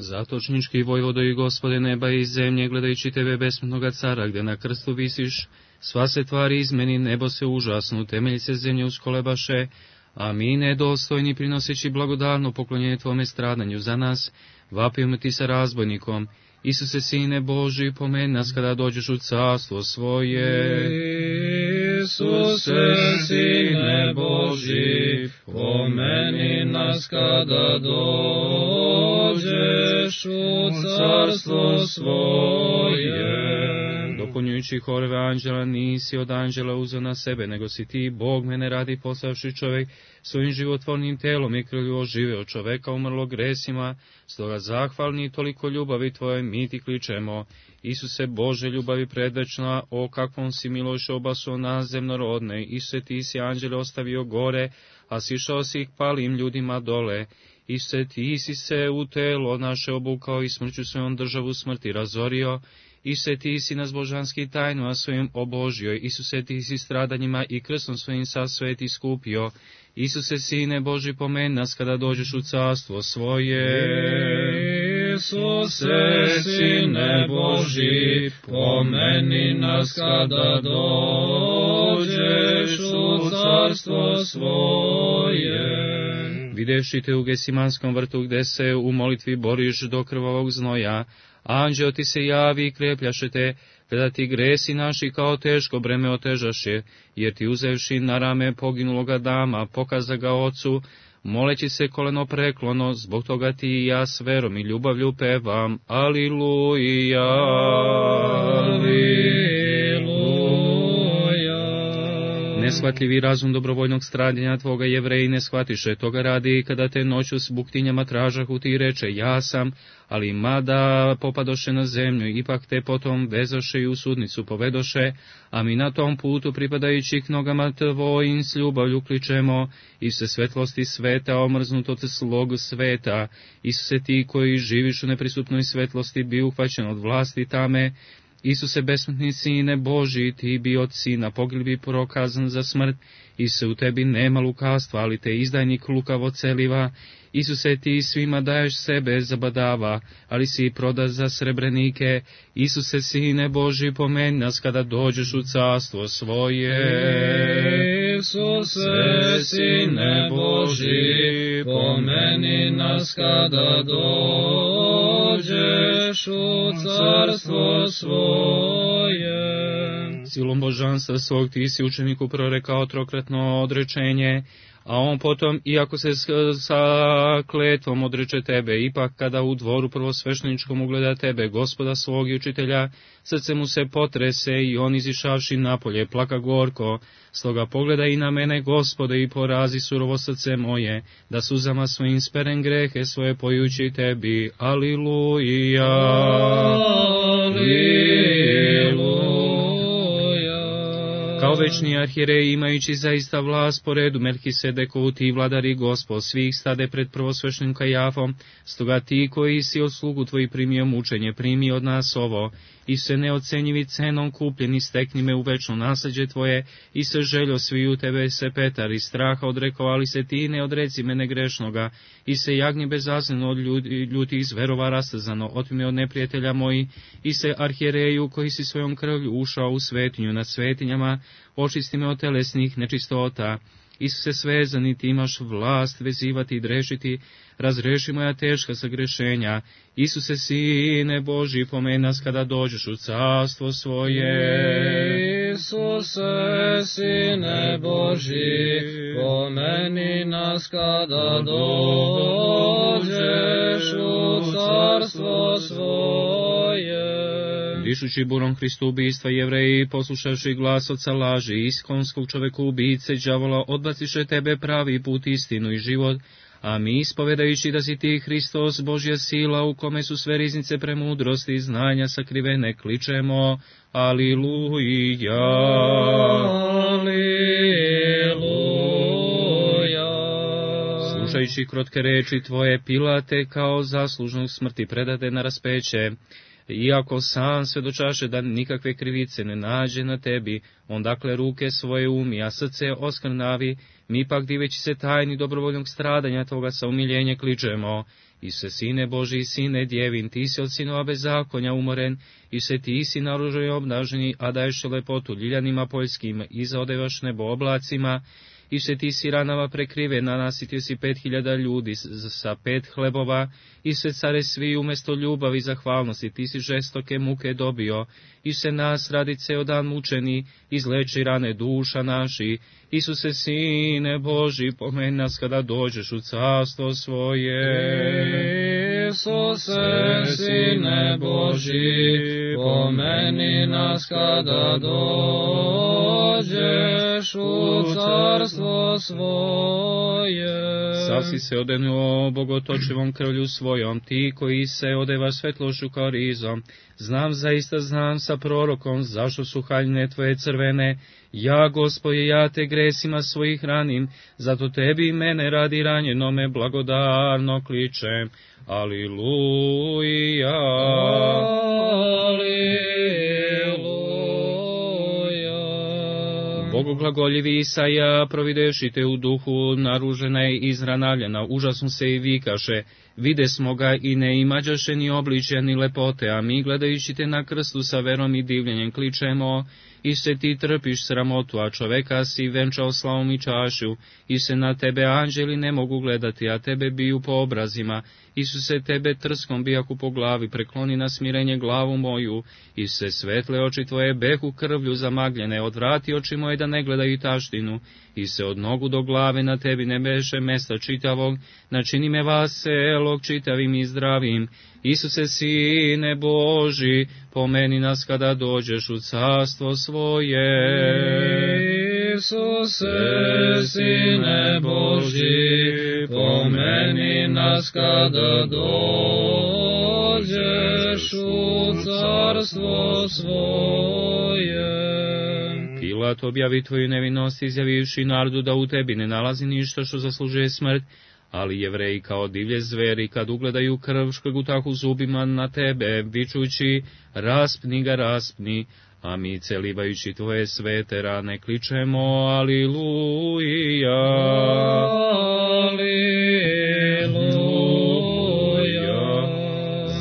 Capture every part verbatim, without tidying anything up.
Zatočnički vojvodo i Gospode neba i zemlje, gledajući tebe besmrtnoga cara, gde na krstu visiš, sva se tvari izmeni, nebo se užasnu, temelji se zemlje uskolebaše, a mi nedostojni, prinoseći blagodarno poklonjenje tvome stradanju za nas, vapimo ti sa razbojnikom. Isuse, Sine Boži, pomeni nas kada dođeš u carstvo svoje. Isuse, Sine Boži, pomeni nas kada dođeš u carstvo svoje. Dopunjujući horove anđela, nisi od anđela uzeo na sebe, nego si ti, Bog, mene radi poslavši čovjek, svojim životvornim telom i krvlju oživeo čoveka umrlo gresima, stoga zahvalni toliko ljubavi tvoje mi ti kličemo. Isuse, Bože, ljubavi predvečna, o kakvom si milošću obasuo nas zemnorodne, Isuse, ti si anđele ostavio gore, a sišao si ih palim ljudima dole. Isuse, ti si se u telo naše obukao i smrću svojom državu smrti razorio. Isuse, ti si nas božanski tajnu, a svojim obožio. Isuse, ti si stradanjima i krstom svojim sa sveti skupio. Isuse, Sine Boži, pomeni nas kada dođeš u carstvo svoje. Isuse, Sine Boži, pomeni nas kada dođeš u carstvo svoje. Videvši te u Gesimanskom vrtu, gde se u molitvi boriš do krvavog znoja, anđeo ti se javi i krepljaše te, kada ti gresi naši kao teško breme otežaše, jer ti uzevši na rame poginuloga dama, pokaza ga ocu, moleći se koleno preklono, zbog toga ti i ja s verom i ljubavlju pevam, aliluja, aliluja. Neshvatljivi razum dobrovoljnog stradanja tvoga Jevreji ne shvatiše, toga radi kada te noću s buktinjama tražahu ti reče, ja sam, ali mada popadoše na zemlju, ipak te potom vezoše i u sudnicu povedoše, a mi na tom putu pripadajući k nogama tvojim s ljubavlju kličemo, Isuse, svetlosti sveta, omrznut od slog sveta, Isuse, ti koji živiš u neprisutnoj svetlosti, bi uhvaćen od vlasti tame, Isuse, besmrtni Sine Boži, ti bi od sina pogilbi prokazan za smrt, Isuse, u tebi nema lukavstva, ali te izdajnik lukavo celiva, Isuse, ti svima daješ sebe zabadava, ali si proda za srebrenike, Isuse, Sine Boži, pomeni nas kada dođeš u carstvo svoje. Isuse, Sine Boži, pomeni nas kada dođeš u carstvo svoje. Silom božanstva svog ti si učeniku prorekao trokratno odrečenje, a on potom, iako se sa kletvom odreče tebe, ipak kada u dvoru prvosvešteničkom ugleda tebe, Gospoda svog i učitelja, srce mu se potrese i on izišavši napolje plaka gorko. Stoga pogledaj i na mene, Gospode, i porazi surovo srce moje, da suzama svojim sperem grehe svoje pojući tebi. Aliluja, aliluja. Kao večni arhijerej, imajući zaista vlast po redu Melkisedekovu, ti vladari Gospod svih stade pred prvosveštenim Kajafom, stoga ti koji si od slugu tvoji primio mučenje, primi od nas ovo, i se neocenjivi cenom kupljeni, stekni me u večno nasljeđe tvoje, i se željo svi u tebe se Petar, i straha odrekao, ali se ti ne odreci mene grešnoga, i se jagnje bezazneno od ljudi, ljuti iz verova rastezano, otmi od neprijatelja moji, i se arhijereju koji si svojom krvlju ušao u svetinju nad svetinjama, očisti me od telesnih nečistota. Isuse, svezani, ti imaš vlast vezivati i drešiti, razreši moja teška sagrešenja. Isuse, Sine Boži, pomeni nas kada dođeš u carstvo svoje. Isuse, Sine Boži, pomeni nas kada dođeš u carstvo svoje. Dišući burom Hristu ubistva, Jevreji, poslušavši glas oca laži, iskonskog čoveku ubice, đavola, odbaciše tebe pravi put, istinu i život, a mi, ispovedajući da si ti Hristos, Božja sila, u kome su sve riznice premudrosti i znanja sakrivene, kličemo, aliluja, aliluja. Slušajući krotke reči tvoje, Pilate kao zaslužnog smrti predade na raspeće, iako sam svedočaše da nikakve krivice ne nađe na tebi, on dakle ruke svoje umi, a srce oskrnavi, mi pak diveći se tajni dobrovoljnog stradanja tvoga sa umiljenje kličemo, Ise, sine Boži, sine djevin, ti si od sinova bezakonja umoren, Ise, ti si naružen i obnaženi, a daješ lepotu ljiljanima poljskim, i zaodevaš nebo oblacima, Ise, ti si ranama prekrivena, nasitio si pet hiljada ljudi sa pet hlebova, Ise, care svi umjesto ljubavi i zahvalnosti, ti si žestoke muke dobio, Ise, nas radi ceo dan mučeni, izleči rane duša naši, Isuse, sine Boži, pomeni nas kada dođeš u carstvo svoje. Isuse, sine Boži, pomeni nas kada dođeš u carstvo svoje. Sav si se odenuo bogotočivom krvlju svojom, ti koji se odeva svetlošću kao rizom. Znam, zaista znam sa prorokom, zašto su haljine tvoje crvene. Ja, Gospodje, ja te gresima svojih ranim, zato tebi i mene radi ranjenome blagodarno kličem. Aliluja. Bogu glagoljivi Isaja, providevši te u duhu, naružena je izranavljena, užasno se i vikaše, vide smo ga i ne imađaše ni obličja ni lepote, a mi gledajući te na krstu sa verom i divljenjem kličemo, Ise, ti trpiš sramotu, a čoveka si venčao slavom i čašu, Ise, na tebe anđeli ne mogu gledati, a tebe biju po obrazima, Isuse, tebe trskom bijaku po glavi, prekloni na smirenje glavu moju, Ise, svetle oči tvoje behu krvlju zamagljene, odvrati oči moje da ne gledaju taštinu, Ise, od nogu do glave na tebi ne beše mesta čitavog, načini me vaselog čitavim i zdravim, Isuse, sine Boži, pomeni nas kada dođeš u carstvo svoje. Isuse, sine Boži, pomeni nas kada dođeš u carstvo svoje. Pilat objavi tvoju nevinost, izjavivši narodu da u tebi ne nalazi ništa što zaslužuje smrt, ali Jevreji kao divlje zveri, kad ugledaju krv, škrgutahu zubima na tebe, vičući, raspni ga, raspni, a mi celivajući tvoje svete rane kličemo, aliluja, aliluja.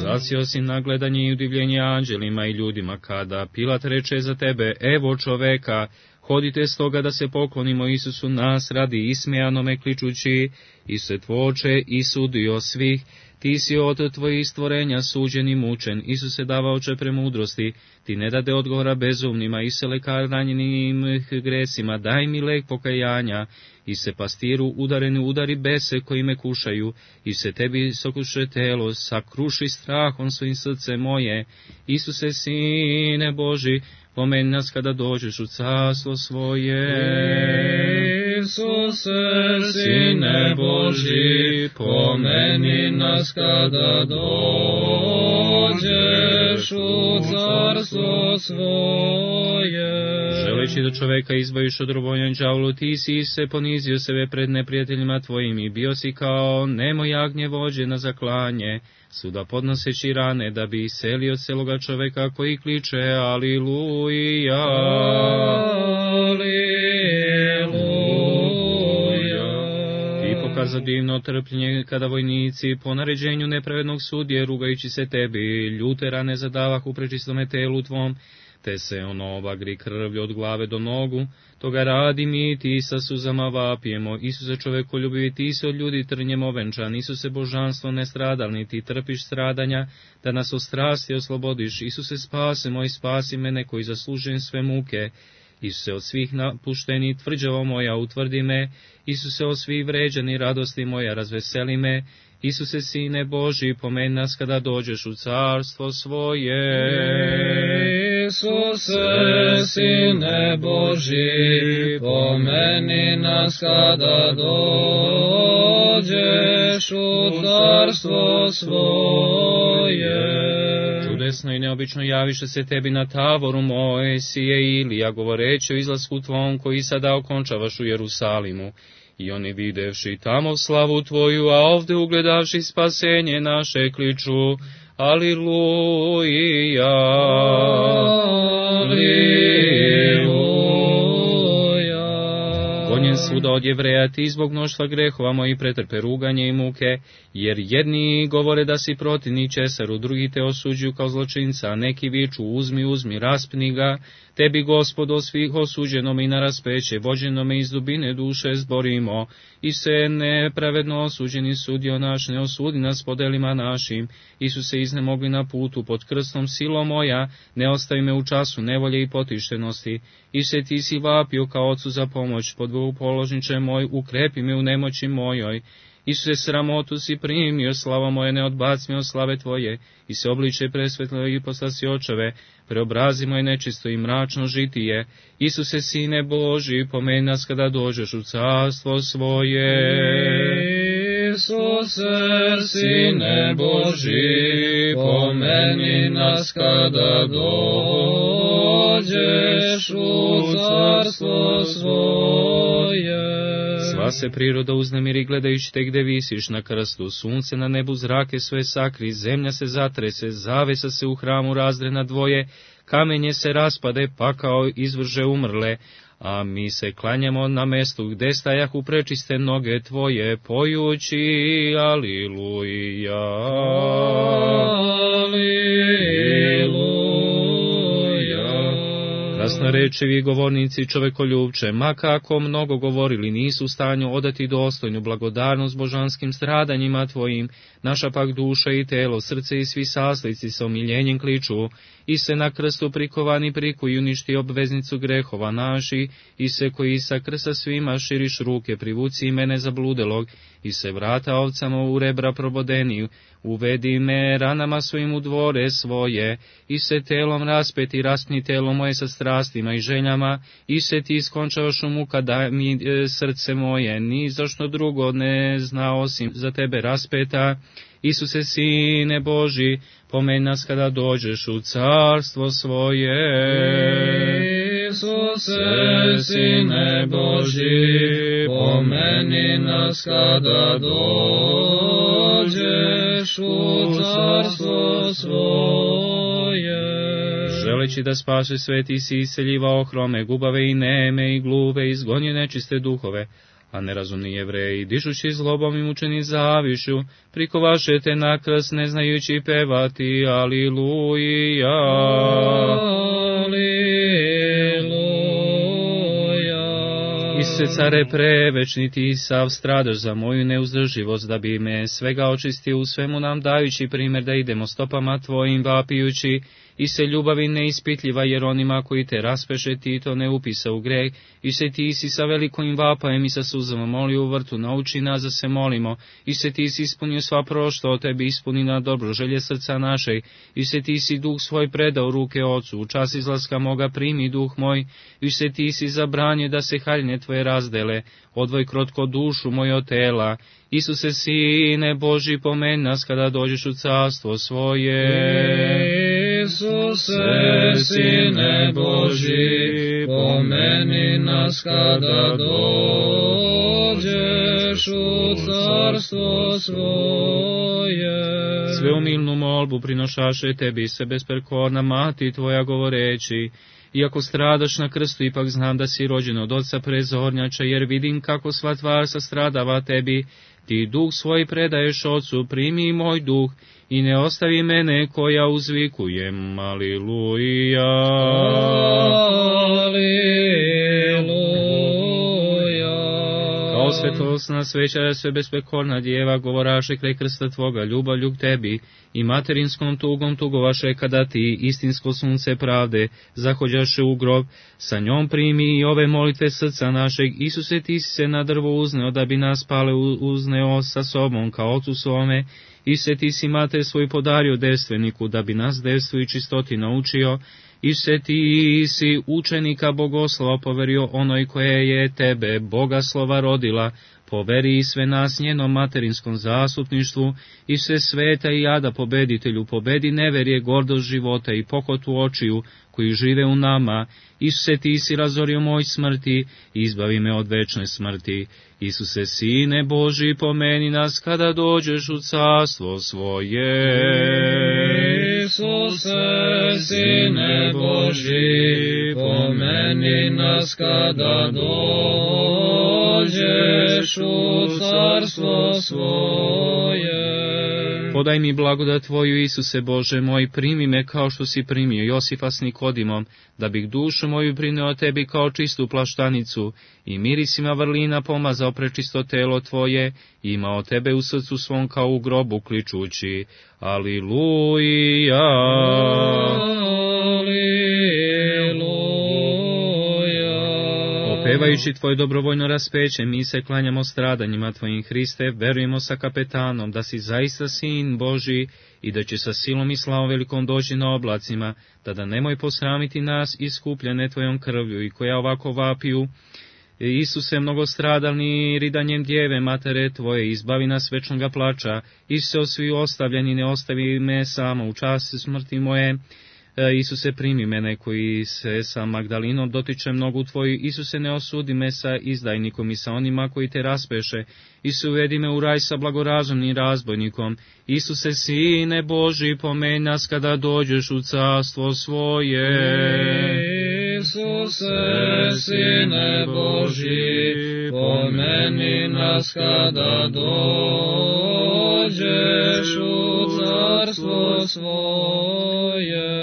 Zasio si na gledanje i udivljenje anđelima i ljudima, kada Pilat reče za tebe, evo čoveka, hodite stoga da se poklonimo Isusu nas radi ismijanome kličući, Isuse tvoče i sudio svih, ti si od tvojih stvorenja suđen i mučen, Isuse davaoče premudrosti, ti ne dade odgovora bezumnima, Isuse lekar ranjenim gresima, daj mi lek pokajanja, Isuse pastiru udareni udari bese koji me kušaju, Isuse tebi sokuše telo, sakruši strahom svojim srce moje, Isuse sine Boži, pomeni nas kada dođeš u carstvo svoje. Isuse, sine Boži, pomeni nas kada dođeš u carstvo svoje. Želeći da čoveka izbaviš od robovanja đavolu, ti si se ponizio sebe pred neprijateljima tvojim i bio si kao nemo jagnje vođe na zaklanje, suda podnoseći rane, da bi iselio celoga čoveka koji kliče aliluja, aliluja. Ti pokaza divno trpljenje kada vojnici po naređenju nepravednog sudje, rugajući se tebi, ljute rane zadavah u prečistome telu tvom, te se ono obagri krvlju od glave do nogu, toga radi mi ti sa suzama vapijemo, Isuse čovekoljubivi, ti se od ljudi trnjem ovenčan, Isuse božanstvo nestradalni, ti trpiš stradanja, da nas od strasti oslobodiš, Isuse spase moj, spasi mene koji zaslužujem sve muke, Isuse od svih napušteni tvrđavo moja utvrdi me, Isuse od svih vređani radosti moja razveseli me, Isuse sine Boži, pomeni nas kada dođeš u carstvo svoje. Isuse, sine Boži, pomeni nas kada dođeš u carstvo svoje. Čudesno i neobično javiše se tebi na tavoru Mojsije Ilija, govoreći o izlasku tvom koji sada okončavaš u Jerusalimu. I oni videvši tamo slavu tvoju, a ovde ugledavši spasenje naše kliču, aliluja, aliluja. gonjen svuda od Jevreja, ti zbog mnoštva grehova moji pretrpe ruganje i muke, jer jedni govore da si protivni Česaru, drugi te osuđuju kao zločinca, a neki viču uzmi, uzmi, raspni ga, tebi Gospodo svih osuđenome i na raspeće, vođenome iz dubine duše zborimo, i se nepravedno osuđeni sudio naš, ne osudi nas po delima našim, Isuse iznemogli na putu pod krstom silo moja, ne ostavi me u času nevolje i potištenosti, Isuse ti si vapio kao ocu za pomoć, podvoju položniče moj, ukrepi me u nemoći mojoj, Isuse sramotu si primio, slava moja ne odbaci me od slave tvoje, i se obliče presvetlo i postasi očeve, preobrazi moje nečisto i mračno žitije, Isuse sine Boži, pomeni nas kada dođeš u carstvo svoje. Isuse sine Boži, pomeni nas kada dođeš u carstvo svoje. Sva se priroda uznemiri gledajući te gde visiš na krstu, sunce na nebu zrake sve sakri, zemlja se zatrese, zavesa se u hramu razdre na dvoje, kamenje se raspade, pakao izvrže umrle, a mi se klanjamo na mestu gde stajahu prečiste noge tvoje, pojući Aliluja. Aliluja. Krasnorečevi govornici čovekoljubče, ma kako mnogo govorili, nisu u stanju odati dostojnu blagodarnost božanskim stradanjima tvojim, naša pak duša i telo, srce i svi saslici sa omiljenjem kliču, i se na krstu prikovani prikuju uništi obveznicu grehova naši, i se koji sa krsta svima širiš ruke, privuci i mene zabludelog, i se vrata ovcama u rebra probodeniju, uvedi me ranama svojim u dvore svoje, i se telom raspeti, raspni telo moje sa strastima i željama, i se ti iskončavaš u muka da mi e, srce moje, ni zašto drugo ne zna osim za tebe raspeta, Isuse sine Boži, pomeni nas kada dođeš u carstvo svoje. Isuse sine Boži, pomeni nas kada dođeš u carstvo svoje. Želeći da spase sveti si iseljivao hrome, gubave i neme i gluve, izgonje nečiste duhove, a nerazumni Jevreji, dišući zlobom i mučeni zavišu, prikovašete na krst ne znajući pevati Aliluja. Isuse care prevečni, ti sav stradaš za moju neuzdrživost, da bi me svega očistio u svemu nam dajući primjer da idemo stopama tvojim vapijući, i se ljubavi neispitljiva, jer onima koji te raspeše ti to ne upisa u greh, i se ti si sa velikom vapajem i sa suzama molio u vrtu, nauči nas da se molimo, i se ti si ispunio sva prošto, o tebi ispuni na dobro želje srca našeg, i se ti si duh svoj predao ruke ocu, u čas izlaska moga primi duh moj, i se ti si zabranio da se haljne tvoje razdele, odvoj krotko dušu moj od tela, Isuse sine Boži, pomeni nas kada dođeš u carstvo svoje. Isuse sine Boži, pomeni nas kada dođeš u carstvo svoje. Sveumilnu molbu prinošaše tebi se besprekorna mati tvoja govoreći, iako stradaš na krstu, ipak znam da si rođen od oca prezornjača, jer vidim kako sva tvar sastradava tebi, ti duh svoj predaješ ocu, primi moj duh, i ne ostavi mene koja uzvikujem, Aliluja. Aliluja. Kao svetlosna sveća, sve besprekorna djeva, govoraše kraj krsta tvoga, ljubavlju k tebi, i materinskom tugom tugovaše kada ti, istinsko sunce pravde, zahođaše u grob, sa njom primi i ove molitve srca našeg, Isuse ti si se na drvo uzneo, da bi nas pale uzneo sa sobom, kao ocu svome, Isuse ti si mater svoj podario devstveniku, da bi nas devstvu i čistoti naučio, Isuse ti si učenika bogoslova poverio onoj koje je tebe, bogaslova rodila, poveri i sve nas njenom materinskom zastupništvu, i sve sveta i jada pobeditelju, pobedi neverje, gordost života i pohotu očiju, koji žive u nama, Isuse ti si razorio moj smrti, izbavi me od večne smrti, Isuse sine Boži, pomeni nas kada dođeš u carstvo svoje. Isuse sine Boži, pomeni nas kada dođeš dođeš u carstvo svoje. Podaj mi blagodat Tvoju, Isuse Bože moj, primi me kao što si primio Josifa s Nikodimom, da bih dušu moju prineo Tebi kao čistu plaštanicu i mirisima vrlina pomazao prečisto telo Tvoje i imao Tebe u srcu svom kao u grobu kličući. Aliluja! Pevajući Tvoje dobrovoljno raspeće, mi se klanjamo stradanjima Tvojim, Hriste, verujemo sa kapetanom da si zaista Sin Božji i da će sa silom i slavom velikom doći na oblacima, tada nemoj posramiti nas iskupljene Tvojom krvlju i koja ovako vapiju. Isuse, mnogostradalni ridanjem djeve, matere Tvoje, izbavi nas večnoga plača, Isuse, svi ostavljeni, ne ostavi me samo u čast smrti moje. Isuse, primi mene koji se sa Magdalinom dotiče mnogu Tvoju, Isuse, ne osudi me sa izdajnikom i sa onima koji Te raspeše, Isuse, uvedi me u raj sa blagorazumnim razbojnikom, Isuse, Sine Boži, pomeni nas kada dođeš u carstvo svoje. Isuse, Sine Boži, pomeni nas kada dođeš u carstvo svoje.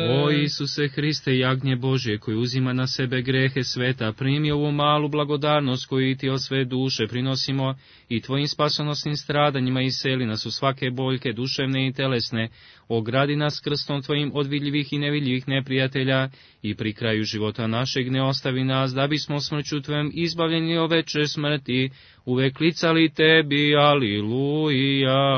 O Isuse Hriste, jagnje Božje, koji uzima na sebe grehe sveta, primi ovu malu blagodarnost koju Ti od sve duše prinosimo i Tvojim spasonosnim stradanjima iseli nas u svake boljke duševne i telesne, ogradi nas krstom Tvojim od vidljivih i nevidljivih neprijatelja i pri kraju života našeg ne ostavi nas, da bismo smrću Tvojom izbavljeni od večne smrti, uvek klicali Tebi, aliluja.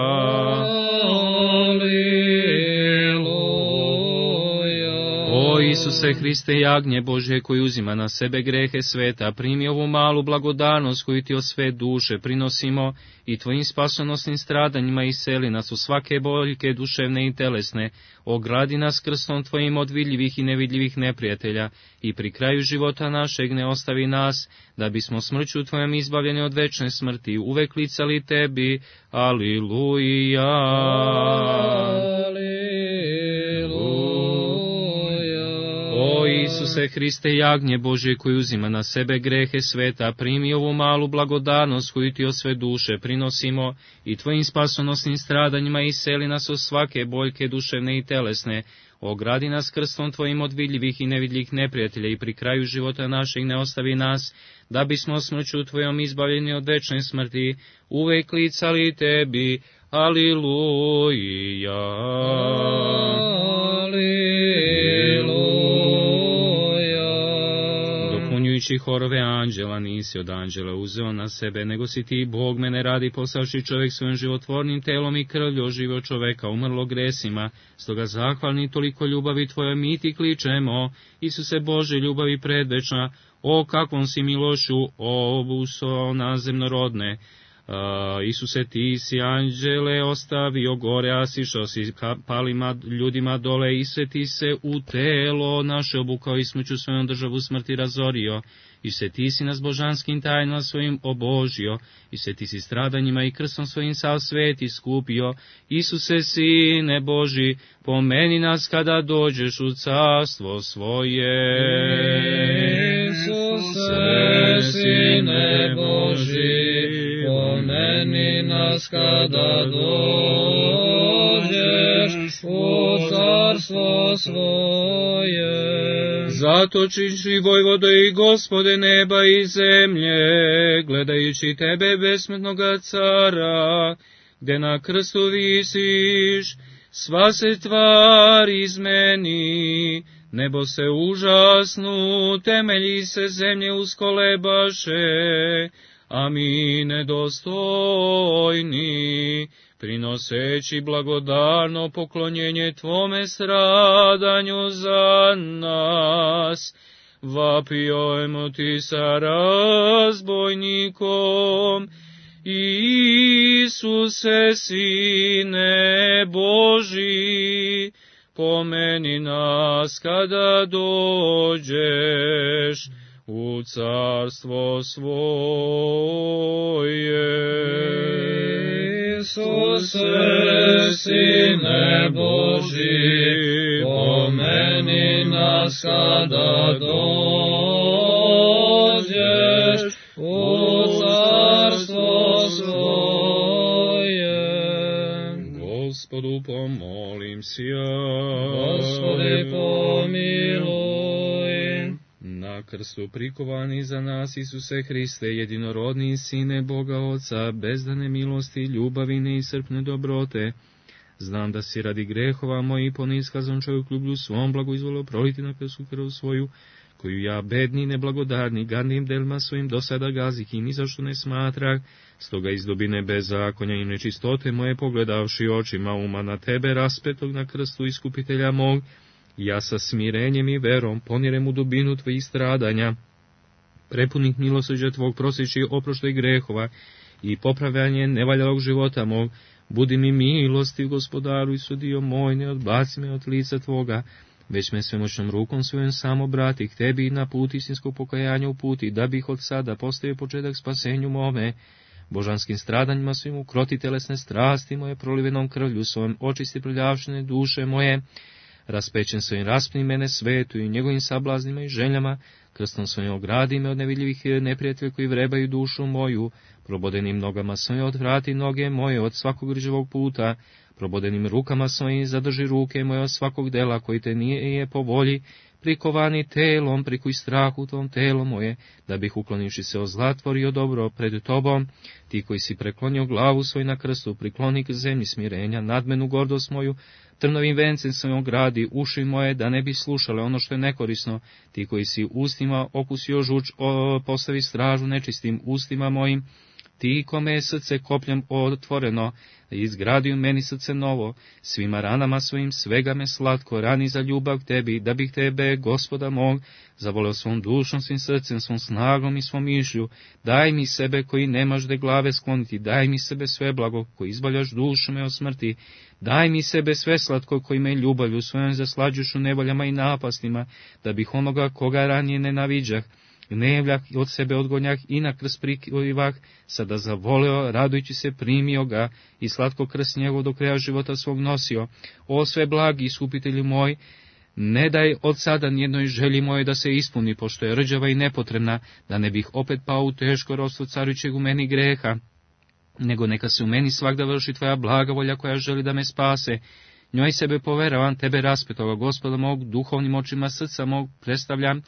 O Isuse Hriste, jagnje Božje, koji uzima na sebe grehe sveta, primi ovu malu blagodarnost koju Ti od sve duše prinosimo i Tvojim spasonosnim stradanjima iseli nas u svake boljke duševne i telesne, ogradi nas krstom Tvojim od vidljivih i nevidljivih neprijatelja i pri kraju života našeg ne ostavi nas, da bismo smrću Tvojom izbavljeni od večne smrti, uvek klicali Tebi, aliluja. O Isuse Hriste, jagnje Božje, koji uzima na sebe grehe sveta, primi ovu malu blagodarnost koju Ti od sve duše prinosimo i Tvojim spasonosnim stradanjima iseli nas od svake boljke duševne i telesne, ogradi nas krstom Tvojim od vidljivih i nevidljivih neprijatelja i pri kraju života našeg ne ostavi nas, da bismo smrću Tvojom izbavljeni od večne smrti, uvek klicali Tebi, aliluja. Dopunjujući horove anđela, nisi od anđela uzeo na sebe, nego si Ti, Bog, mene radi poslavši čovjek svojim životvornim telom i krvlju oživio čoveka umrlo gresima, stoga zahvalni toliko ljubavi Tvoje mi Ti kličemo, Isuse Bože, ljubavi predvečna, o kakvom si milošću obuso na zemnorodne. Uh, Isuse, Ti si anđele ostavio gore, a sišao si palima ljudima dole, Isuse, Ti se u telo naše obukao i smrću svojom državu smrti razorio, Isuse, Ti si nas božanskim tajnama svojim obožio, Isuse, Ti si stradanjima i krstom svojim sav svet iskupio, Isuse, Sine Boži, pomeni nas kada dođeš u carstvo svoje. Isuse, Sine Boži, pomeni nas kada dođeš u carstvo svoje. Zatočiši vojvodo i Gospode neba i zemlje, gledajući Tebe besmrtnoga cara, gde na krstu visiš, sva se tvar izmeni, nebo se užasnu, temelji se zemlje uskolebaše, a mi nedostojni, prinoseći blagodarno poklonjenje Tvome stradanju za nas, vapijemo Ti sa razbojnikom, Isuse, Sine Boži, pomeni nas kada dođeš u carstvo svoje. Isuse, Sine Boži, pomeni nas kada dođeš u carstvo sija. Gospodi pomiluj. Na krstu prikovani za nas, Isuse Hriste, jedinorodni Sine Boga Oca, bezdane milosti, ljubavi, neiscrpne dobrote, znam da si radi grehova moji poniskazan čovjek ljublju svom blagoizvolio proliti na krstu krv svoju, koju ja, bedni, neblagodarni, gadnim delima svojim do sada gazih i ni zašto ne smatrah, stoga iz dobine bezakonja i nečistote moje pogledavši očima uma na tebe raspetog na krstu iskupitelja mog, ja sa smirenjem i verom ponirem u dubinu tvojih stradanja, prepunih milosrđa tvog prosjeći oproštaj grehova i popravljanje nevaljalog života mog, budi mi milostiv, Gospodaru, i sudio moj, ne odbaci me od lica tvoga, već me svemoćnom rukom svojom samo obrati k tebi i na put istinskog pokajanja uputi, da bih od sada postavio početak spasenju mome, božanskim stradanjima svim ukroti telesne strasti moje, prolivenom krvlju svojom očisti prljavšine duše moje, raspećen svojim raspni mene svetu i njegovim sablaznima i željama, krstom svojim ogradi me od nevidljivih neprijatelja koji vrebaju dušu moju, probodenim nogama svojim odvrati noge moje od svakog rđavog puta, probodenim rukama svojim zadrži ruke moje od svakog dela koji te nije je po volji, prikovani telom, prikuj strahu tom telo moje, da bih uklonivši se od zla tvorio dobro pred tobom, ti koji si preklonio glavu svoj na krstu, prikloni k zemlji smirenja, nadmenu gordost moju, trnovim vencem svojom gradi, uši moje, da ne bi slušale ono što je nekorisno, ti koji si ustima okusio žuč, o, postavi stražu nečistim ustima mojim, ti kome je srce kopljem otvoreno, izgradio meni srce novo, svima ranama svojim svega me slatko, rani za ljubav tebi, da bih tebe, Gospoda mog, zavoleo svom dušom, svim srcem, svom snagom i svom mišlju, daj mi sebe koji nemaš de glave skloniti, daj mi sebe sve blago, koji izbaljaš dušu me od smrti, daj mi sebe sve slatko koji me ljubavlju svojom zaslađuš u nevoljama i napastima, da bih onoga koga ranije nenaviđah, gnevljak od sebe odgonjak i na krst prikivah, sada zavoleo, radujući se primio ga i slatko krst njegov do kraja života svog nosio. O sve blagi iskupitelju moj, ne daj od sada nijednoj želji moje da se ispuni, pošto je rđava i nepotrebna, da ne bih opet pao u teško ropstvo carujućeg u meni greha, nego neka se u meni svakda vrši tvoja blaga volja koja želi da me spase. Njoj sebe poveravam, tebe raspetoga, Gospoda mog, duhovnim očima srca mog predstavljam,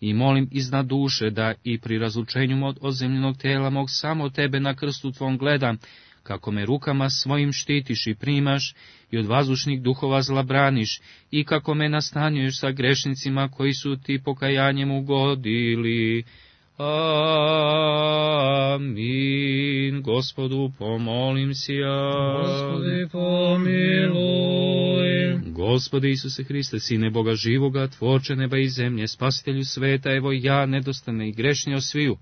i molim iznad duše da i pri razlučenju od ozemljenog tela mog samo tebe na krstu tvom gledam, kako me rukama svojim štitiš i primaš i od vazdušnih duhova zla braniš, i kako me nastanjuješ sa grešnicima koji su ti pokajanjem ugodili. Amin. Gospodu pomolim si ja. Gospodi pomiluj. Gospode Isuse Hriste, Sine Boga živoga, Tvorče neba i zemlje, Spasitelju sveta, evo ja, nedostane i grešni od sviju,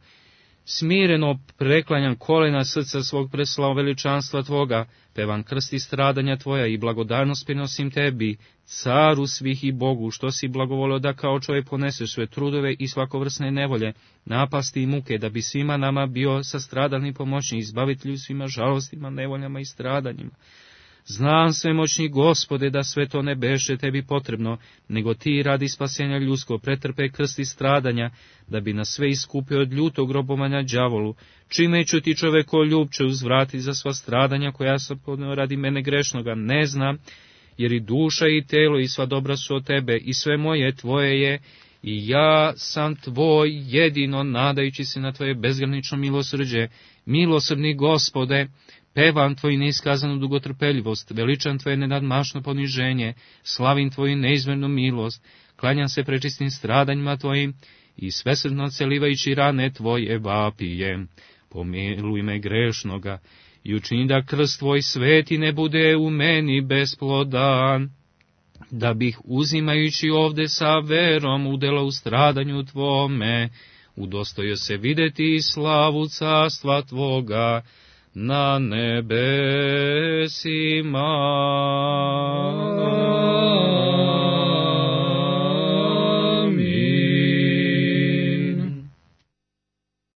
smireno preklanjam kolena srca svog preslao veličanstva Tvoga, pevam krsti stradanja Tvoja i blagodarnost prinosim Tebi, Caru svih i Bogu, što si blagovolio da kao čovjek poneseš sve trudove i svakovrsne nevolje, napasti i muke, da bi svima nama bio sastradalni pomoćnik, izbavitelju svima žalostima, nevoljama i stradanjima. Znam, svemoćni Gospode, da sve to ne beše tebi potrebno, nego ti radi spasenja ljudsko pretrpe krsti stradanja, da bi nas sve iskupio od ljutog robovanja đavolu, čime ću ti čoveko ljubče uzvrati za sva stradanja koja sam podneo radi mene grešnoga, ne znam, jer i duša i telo i sva dobra su od tebe, i sve moje tvoje je, i ja sam tvoj jedino, nadajući se na tvoje bezgranično milosrđe. Milosrdni Gospode, pevam tvoju neiskazanu dugotrpeljivost, veličam tvoje nenadmašno poniženje, slavim tvoju neizmjernu milost, klanjam se prečistim stradanjima tvojim i svesrdno celivajući rane tvoje vapijem. Pomiluj me grešnoga i učini da krst tvoj sveti ne bude u meni besplodan, da bih uzimajući ovde sa verom udjela u stradanju tvome, udostojio se videti slavu carstva tvoga na nebesima.